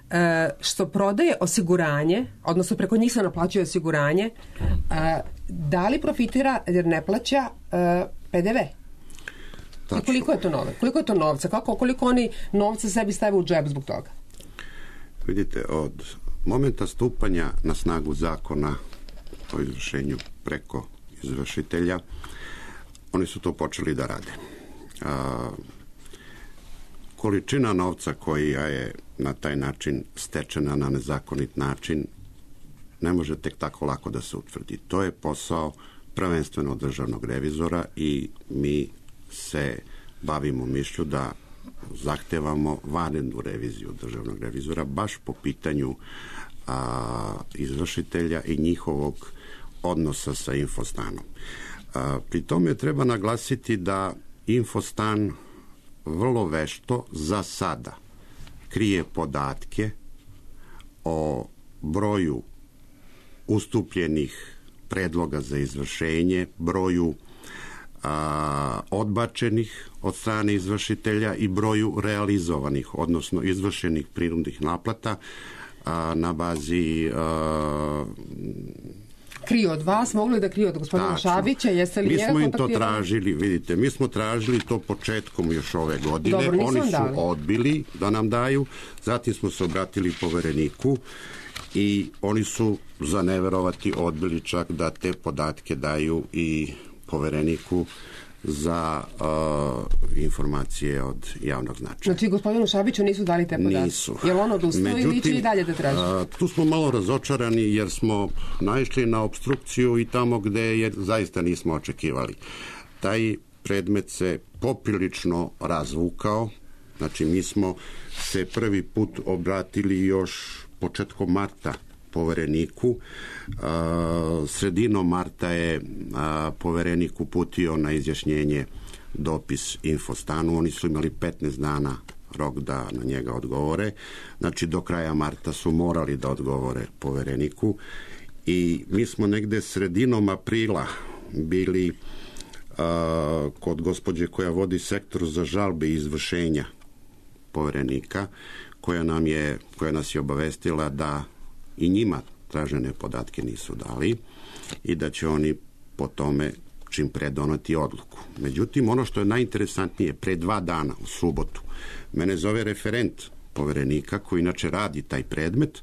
e, što prodaje osiguranje, odnosno preko njih se naplaćuje osiguranje, e, da li profitira jer ne plaća e, P D V? I koliko je to nove? Koliko je to novca? Kako, koliko oni novca sebi stave u džep zbog toga? Vidite, od momenta stupanja na snagu zakona o izvršenju preko izvršitelja, oni su to počeli da rade. A, količina novca koja je na taj način stečena na nezakonit način ne može tek tako lako da se utvrdi. To je posao prvenstveno državnog revizora i mi se bavimo mišlju da zahtevamo vanrednu reviziju državnog revizora baš po pitanju a, izvršitelja i njihovog odnosa sa Infostanom. A, pri tome treba naglasiti da Infostan vrlo vešto za sada krije podatke o broju ustupljenih predloga za izvršenje, broju a, odbačenih od strane izvršitelja i broju realizovanih, odnosno izvršenih prinudnih naplata a, na bazi a, kriju od vas, mogli da kriju od gospodina tačno. Šabića, jeste li mi njega smo im to kontaktirali? tražili, vidite, mi smo tražili to početkom još ove godine, dobro, oni su dali. odbili da nam daju, zatim smo se obratili povereniku i oni su za neverovati odbili čak da te podatke daju i povereniku za uh, informacije od javnog značaja. Znači, gospodinu Šabiću nisu dali te podatke? Nisu. Je li on odustao ili će i dalje da traži? Uh, tu smo malo razočarani jer smo naišli na obstrukciju i tamo gde je zaista nismo očekivali. Taj predmet se poprilično razvukao Znači, mi smo se prvi put obratili još početkom marta povereniku. Sredinom marta je poverenik uputio na izjašnjenje dopis Infostanu. Oni su imali petnaest dana rok da na njega odgovore. Znači, do kraja marta su morali da odgovore povereniku i mi smo negde sredinom aprila bili a, kod gospođe koja vodi sektor za žalbe i izvršenja poverenika, koja nam je, koja nas je obavestila da i njima tražene podatke nisu dali i da će oni po tome čim pre doneti odluku. Međutim, ono što je najinteresantnije, pre dva dana, u subotu, mene zove referent poverenika koji inače radi taj predmet.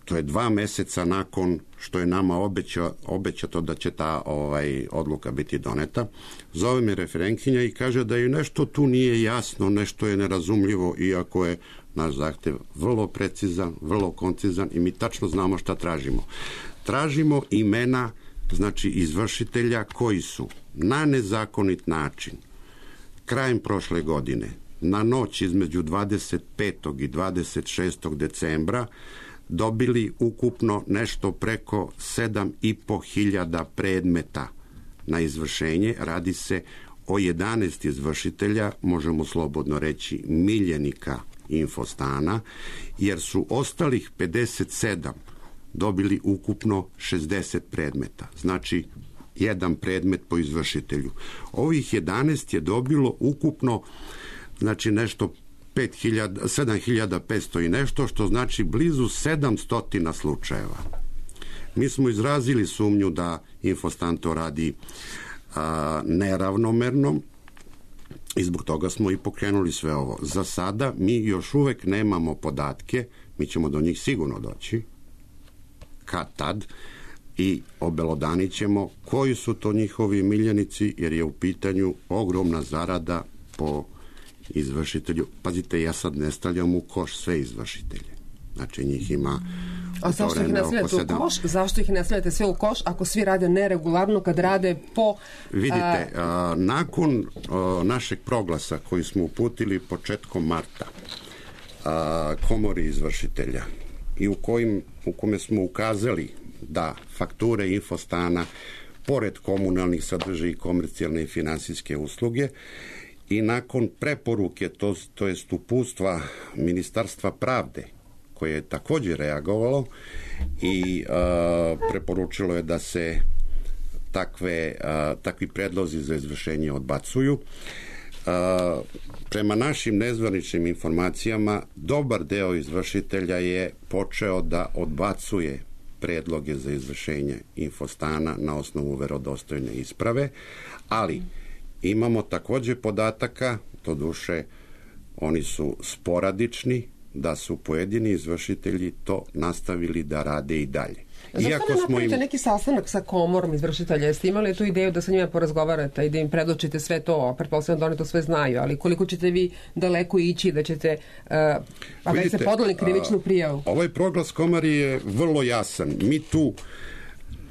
To je dva meseca nakon što je nama obeća, obećato da će ta ovaj, odluka biti doneta. Zove me referentkinja i kaže da ju nešto tu nije jasno, nešto je nerazumljivo, iako je naš zahtev vrlo precizan, vrlo koncizan i mi tačno znamo šta tražimo. Tražimo imena, znači izvršitelja koji su na nezakonit način krajem prošle godine, na noć između dvadeset petog i dvadeset šestog decembra dobili ukupno nešto preko sedam i po hiljada predmeta na izvršenje. Radi se o jedanaest izvršitelja, možemo slobodno reći miljenika Infostana, jer su ostalih pedeset sedam dobili ukupno šezdeset predmeta. Znači, jedan predmet po izvršitelju. Ovih jedanaest je dobilo ukupno, znači nešto sedam hiljada petsto i nešto, što znači blizu sedamsto slučajeva. Mi smo izrazili sumnju da Infostan to radi a, neravnomerno i zbog toga smo i pokrenuli sve ovo. Za sada mi još uvek nemamo podatke, mi ćemo do njih sigurno doći, kad tad, i obelodanit ćemo koji su to njihovi miljenici, jer je u pitanju ogromna zarada po izvršitelju. Pazite, ja sad ne stavljam u koš sve izvršitelje. Znači, njih ima... A zašto ih ne stavljate u koš? Zašto ih ne stavljate sve u koš ako svi rade neregularno, kad rade po... Vidite, a, nakon a, našeg proglasa koji smo uputili početkom marta a, komori izvršitelja i u, kojim, u kome smo ukazali da fakture Infostana, pored komunalnih, sadrže i komercijalne i finansijske usluge, i nakon preporuke, to, to jest uputstva Ministarstva pravde, koje je također reagovalo i a, preporučilo je da se takve, a, takvi predlozi za izvršenje odbacuju. A, prema našim nezvaničnim informacijama, dobar deo izvršitelja je počeo da odbacuje predloge za izvršenje Infostana na osnovu verodostojne isprave, ali imamo takođe podataka, to duše oni su sporadični, da su pojedini izvršitelji to nastavili da rade i dalje. Zašto Iako ne smo napravite im... neki sastanak sa komorom izvršitelja? Jeste imali tu ideju da sa njima porazgovarate i da im predočite sve to? Pretpostavljam da oni to sve znaju, ali koliko ćete vi daleko ići da ćete... Uh, a već ste podali krivičnu prijavu? Ovaj proglas komari je vrlo jasan. Mi tu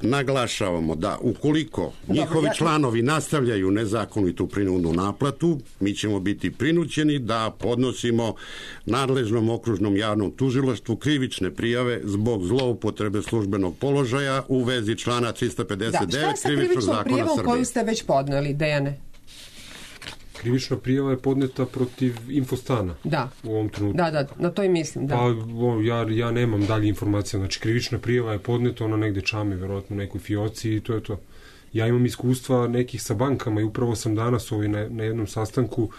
naglašavamo da ukoliko njihovi Dobro, ja... članovi nastavljaju nezakonitu prinudnu naplatu, mi ćemo biti prinuđeni da podnosimo nadležnom okružnom javnom tužilaštvu krivične prijave zbog zloupotrebe službenog položaja u vezi člana trista pedeset devet da, krivičnog zakona Srbije. Šta je sa krivičnom prijavom koju ste već podneli, Dejane? Krivična prijava je podneta protiv Infostana. Da. U ovom trenutku. Da, da, na to i mislim, da. Pa, o, ja, ja nemam dalje informacije. Znači, krivična prijava je podneta, ona negde čami, verovatno u nekoj fioci i to je to. Ja imam iskustva nekih sa bankama i upravo sam danas ovaj, na, na jednom sastanku,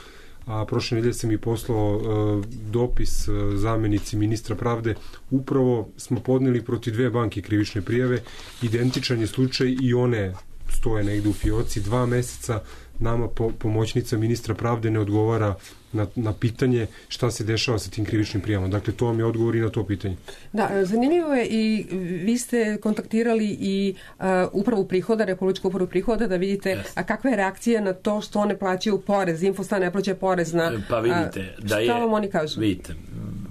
a prošle nedelje sam i poslao uh, dopis uh, zamenici ministra pravde. Upravo smo podneli protiv dve banke krivične prijave. Identičan je slučaj i one stoje negde u fioci dva meseca. Nama po, pomoćnica ministra pravde ne odgovara na, na pitanje šta se dešava sa tim krivičnim prijavama. Dakle, to vam je odgovor i na to pitanje. Da, zanimljivo je i vi ste kontaktirali i uh, upravu prihoda, Republičku upravu prihoda, da vidite yes. a kakva je reakcija na to što one plaćaju porez, Infostan ne plaća porez na... Pa vidite, a, da je... Šta vam oni kažu? Vidite,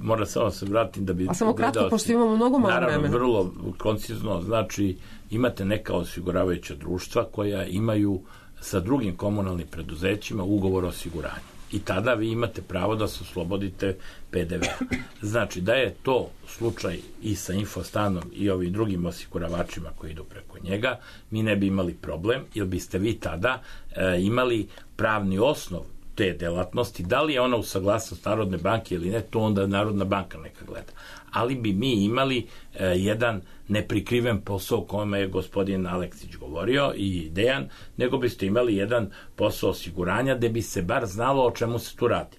mora samo se vratim da bi... A samo kratko, pošto imamo mnogo malo vremena. Naravno, vrlo koncizno, znači imate neka osiguravajuća društva koja imaju sa drugim komunalnim preduzećima ugovor o osiguranju. I tada vi imate pravo da se oslobodite P D V-a. Znači, da je to slučaj i sa Infostanom i ovim drugim osiguravačima koji idu preko njega, mi ne bi imali problem, jer biste vi tada e, imali pravni osnov te delatnosti. Da li je ona u saglasnost Narodne banke ili ne, to onda Narodna banka neka gleda. Ali bi mi imali e, jedan neprikriven posao o kome je gospodin Aleksić govorio i Dejan, nego biste imali jedan posao osiguranja gde bi se bar znalo o čemu se tu radi.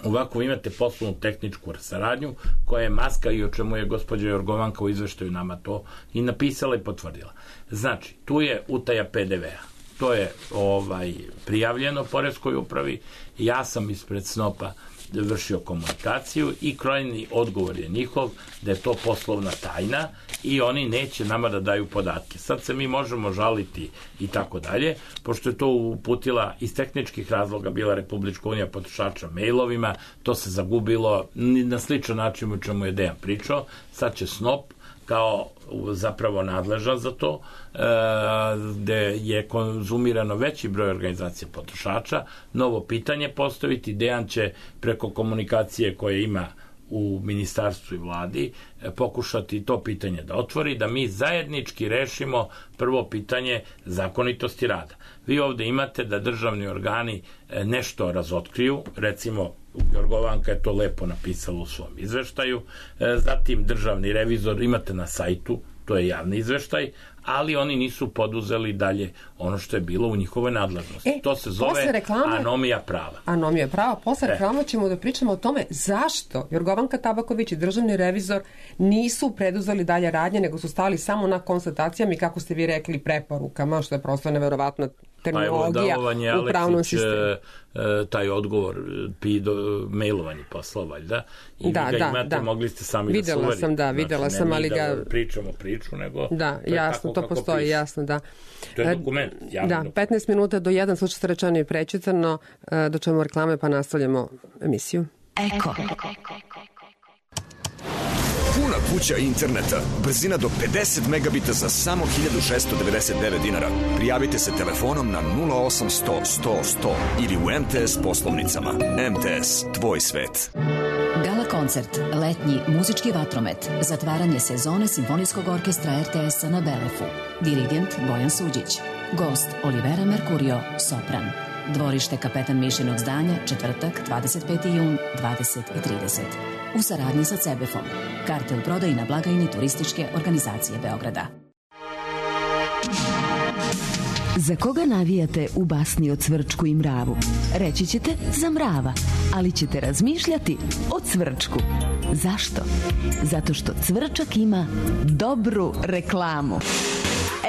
Ovako imate poslovnu tehničku saradnju koja je maska i o čemu je gospođa Jorgovanka u izveštaju nama to i napisala i potvrdila. Znači, tu je utaja P D V-a. To je ovaj prijavljeno poreskoj upravi. Ja sam ispred S N O P-a vršio komunikaciju i krajnji odgovor je njihov da je to poslovna tajna i oni neće nama da daju podatke. Sad se mi možemo žaliti i tako dalje, pošto je to uputila iz tehničkih razloga bila Republička unija potrošača mailovima, to se zagubilo na sličan način u čemu je Dejan pričao. Sad će S N O P kao zapravo nadležan za to, gde je konzumirano veći broj organizacija potrošača, novo pitanje postaviti. Dejan će preko komunikacije koje ima u ministarstvu i vladi pokušati to pitanje da otvori, da mi zajednički rešimo prvo pitanje zakonitosti rada. Vi ovde imate da državni organi nešto razotkriju, recimo Jorgovanka je to lepo napisala u svom izveštaju, zatim državni revizor imate na sajtu, to je javni izveštaj, ali oni nisu poduzeli dalje ono što je bilo u njihovoj nadležnosti. E, to se zove reklame, anomija prava. Anomija prava. Posle e. reklama ćemo da pričamo o tome zašto Jorgovanka Tabaković i državni revizor nisu preduzeli dalje radnje, nego su stali samo na konstatacijama i, kako ste vi rekli, preporukama, što je prosto neverovatna terminologija pa u pravnom sistemu. Taj odgovor pido, mailovanje poslao valjda i da, vi ga da, imate, da. Mogli ste sami videla da se sam, da, videla znači, sam, ali ga... pričamo priču, nego da, jasno, to postoji, piše. Jasno, da. To je dokument, javno. Da, petnaest minuta do jedan, slušajte rečeno i prečitano, do čemu reklame, pa nastavljamo emisiju. Eko. Puna kuća interneta, brzina do pedeset megabita za samo hiljadu šessto devedeset devet dinara. Prijavite se telefonom na nula osam sto sto sto ili u M T S poslovnicama. M T S, tvoj svet. Gala koncert, letnji muzički vatromet, zatvaranje sezone Simfonijskog orkestra R T S-a na Belefu. Dirigent Bojan Suđić. Gost Olivera Mercurio, sopran. Dvorište Kapetan Mišinog zdanja, četvrtak, dvadeset peti jun, dvadeset i trideset. U saradnji sa Cebefom. Karte u prodaji na blagajni Turističke organizacije Beograda. Za koga navijate u basni o Cvrčku i mravu? Reći ćete za mrava, ali ćete razmišljati o Cvrčku. Zašto? Zato što Cvrčak ima dobru reklamu.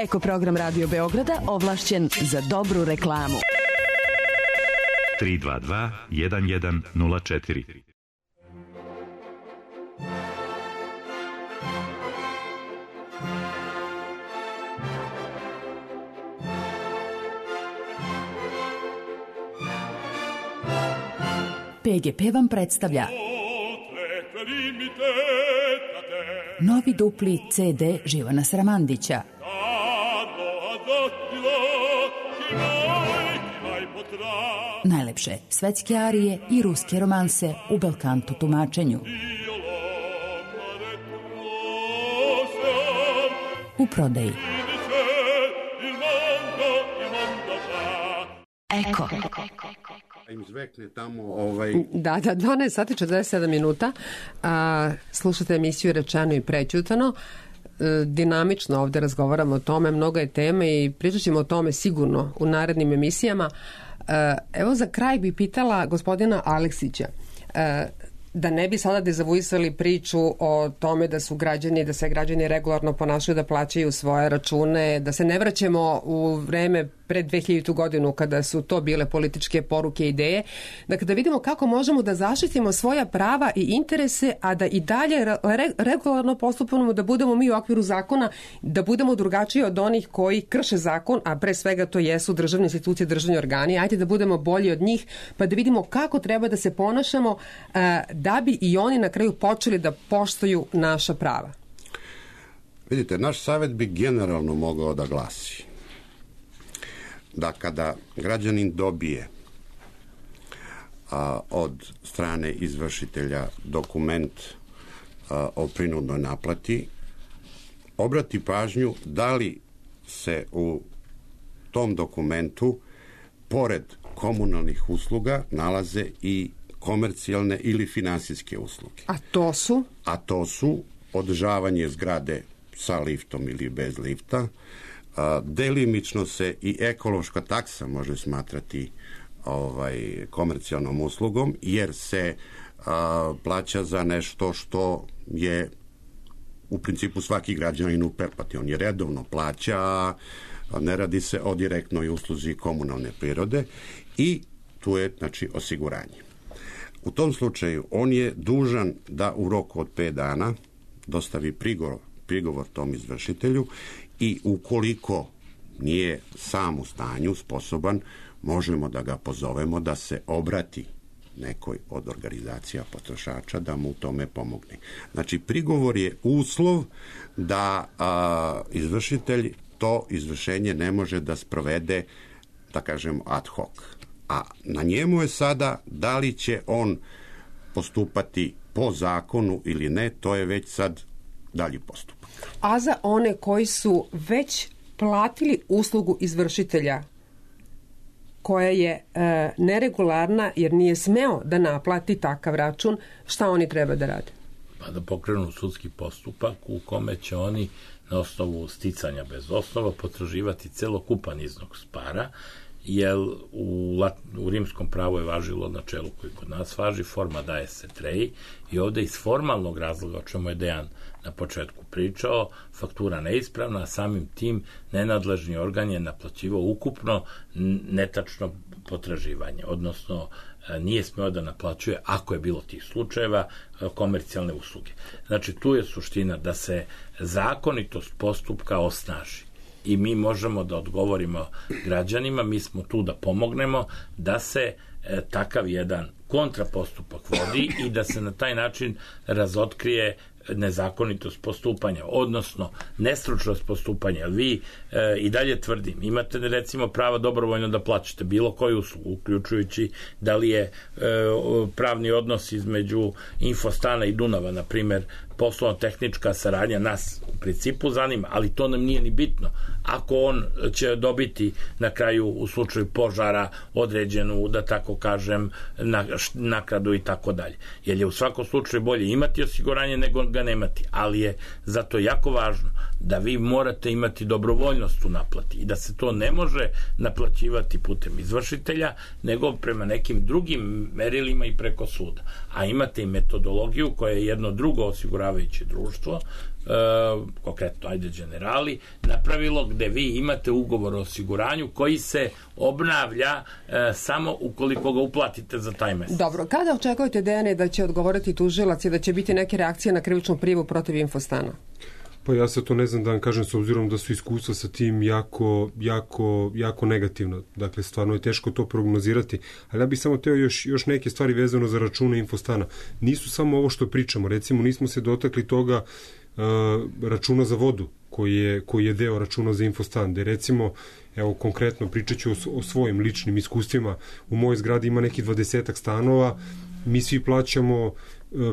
Eko program Radio Beograda ovlašćen za dobru reklamu. tri dva dva jedan jedan nula četiri. P G P vam predstavlja novi dupli C D Živana Sramandića. Najlepše svetske arije i ruske romanse u belkanto tumačenju. U prodaji. Eko. Im zvekne tamo ovaj... Da, da, dvanaest sati četrdeset sedam minuta. A, slušate emisiju Rečeno i prećutano. E, dinamično ovde razgovaramo o tome, mnogo je teme i pričat ćemo o tome sigurno u narednim emisijama. E, evo za kraj bi pitala gospodina Aleksića, e, da ne bi sada dezavuisali priču o tome da su građani, da se građani regularno ponašaju da plaćaju svoje račune, da se ne vraćamo u vreme pred dve hiljadite godinu kada su to bile političke poruke i ideje. Dakle, da vidimo kako možemo da zaštitimo svoja prava i interese, a da i dalje re, regularno postupamo, da budemo mi u okviru zakona, da budemo drugačiji od onih koji krše zakon, a pre svega to jesu državne institucije, državni organi. Ajde da budemo bolji od njih, pa da vidimo kako treba da se ponašamo da bi i oni na kraju počeli da poštuju naša prava. Vidite, naš savjet bi generalno mogao da glasi da kada građanin dobije a, od strane izvršitelja dokument a, o prinudnoj naplati, obrati pažnju da li se u tom dokumentu pored komunalnih usluga nalaze i komercijalne ili finansijske usluge. A to su? A to su održavanje zgrade sa liftom ili bez lifta. A, delimično se i ekološka taksa može smatrati ovaj, komercijalnom uslugom, jer se a, plaća za nešto što je u principu svaki građanin u pretplati. On je redovno plaća, a ne radi se o direktnoj usluzi komunalne prirode i tu je, znači, osiguranje. U tom slučaju on je dužan da u roku od pet dana dostavi prigovor, prigovor tom izvršitelju i ukoliko nije sam u stanju, sposoban, možemo da ga pozovemo da se obrati nekoj od organizacija potrošača da mu u tome pomogne. Znači, prigovor je uslov da a, izvršitelj to izvršenje ne može da sprovede, da kažem, ad hoc. A na njemu je sada da li će on postupati po zakonu ili ne, to je već sad dalji postupak. A za one koji su već platili uslugu izvršitelja koja je e, neregularna jer nije smeo da naplati takav račun, šta oni treba da rade? Pa da pokrenu sudski postupak u kome će oni na osnovu sticanja bez osnova potraživati celokupan iznos para, jer u, u rimskom pravu je važilo načelo koji kod nas važi, forma daje se treji, i ovde iz formalnog razloga, o čemu je Dejan na početku pričao, faktura neispravna, a samim tim nenadležni organ je naplaćivao ukupno netačno potraživanje, odnosno nije smeo da naplaćuje, ako je bilo tih slučajeva, komercijalne usluge. Znači, tu je suština da se zakonitost postupka osnaži i mi možemo da odgovorimo građanima, mi smo tu da pomognemo da se e, takav jedan kontrapostupak vodi i da se na taj način razotkrije nezakonitost postupanja, odnosno nestručnost postupanja. Vi e, i dalje tvrdim, imate recimo prava dobrovoljno da plaćate bilo koju uslugu, uključujući da li je e, pravni odnos između Infostana i Dunava, na primer, poslovno-tehnička saradnja, nas u principu zanima, ali to nam nije ni bitno. Ako on će dobiti na kraju u slučaju požara određenu, da tako kažem, nakradu i tako dalje. Jer je u svakom slučaju bolje imati osiguranje nego ga nemati, ali je zato jako važno da vi morate imati dobrovoljnost u naplati i da se to ne može naplaćivati putem izvršitelja, nego prema nekim drugim merilima i preko suda. A imate i metodologiju koja je jedno drugo osiguravajuće društvo, e, konkretno ajde Generali, napravilo, gde vi imate ugovor o osiguranju koji se obnavlja e, samo ukoliko ga uplatite za taj mesec. Dobro, kada očekujete, Dejane, da će odgovoriti tužilac i da će biti neke reakcije na krivičnu prijavu protiv Infostana? Pa ja sad to ne znam da vam kažem, s obzirom da su iskustva sa tim jako, jako, jako negativna. Dakle, stvarno je teško to prognozirati. Ali ja bih samo teo još, još neke stvari vezano za račune Infostana. Nisu samo ovo što pričamo. Recimo, nismo se dotakli toga uh, računa za vodu, koji je, koji je deo računa za Infostan. Da recimo, evo konkretno pričat ću o, o svojim ličnim iskustvima. U mojoj zgradi ima neki dvadesetak stanova, mi svi plaćamo,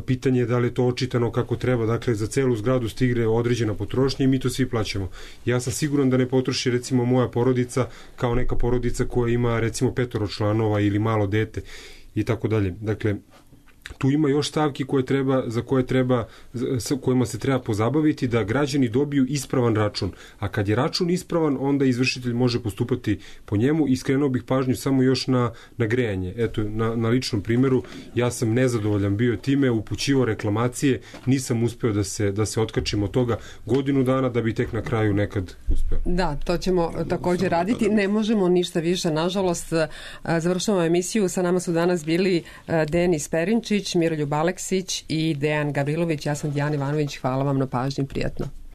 pitanje je da li je to očitano kako treba, dakle za celu zgradu stigne određena potrošnja i mi to svi plaćamo. Ja sam siguran da ne potroši recimo moja porodica kao neka porodica koja ima recimo petoro članova ili malo dete i tako dalje. Dakle, tu ima još stavki koje treba, za koje treba, sa kojima se treba pozabaviti da građani dobiju ispravan račun. A kad je račun ispravan, onda izvršitelj može postupati po njemu. I skrenuo bih pažnju samo još na, na grejanje. Eto, na, na ličnom primjeru, ja sam nezadovoljan bio time, upućivao reklamacije, nisam uspeo da se, da se otkačim od toga godinu dana da bi tek na kraju nekad uspeo. Da, to ćemo također raditi. Ne možemo ništa više, nažalost. Završavamo emisiju. Sa nama su danas bili Denis Perinčić, Miroljub Aleksić i Dejan Gavrilović. Ja sam Dijana Ivanović. Hvala vam na pažnji. Prijatno.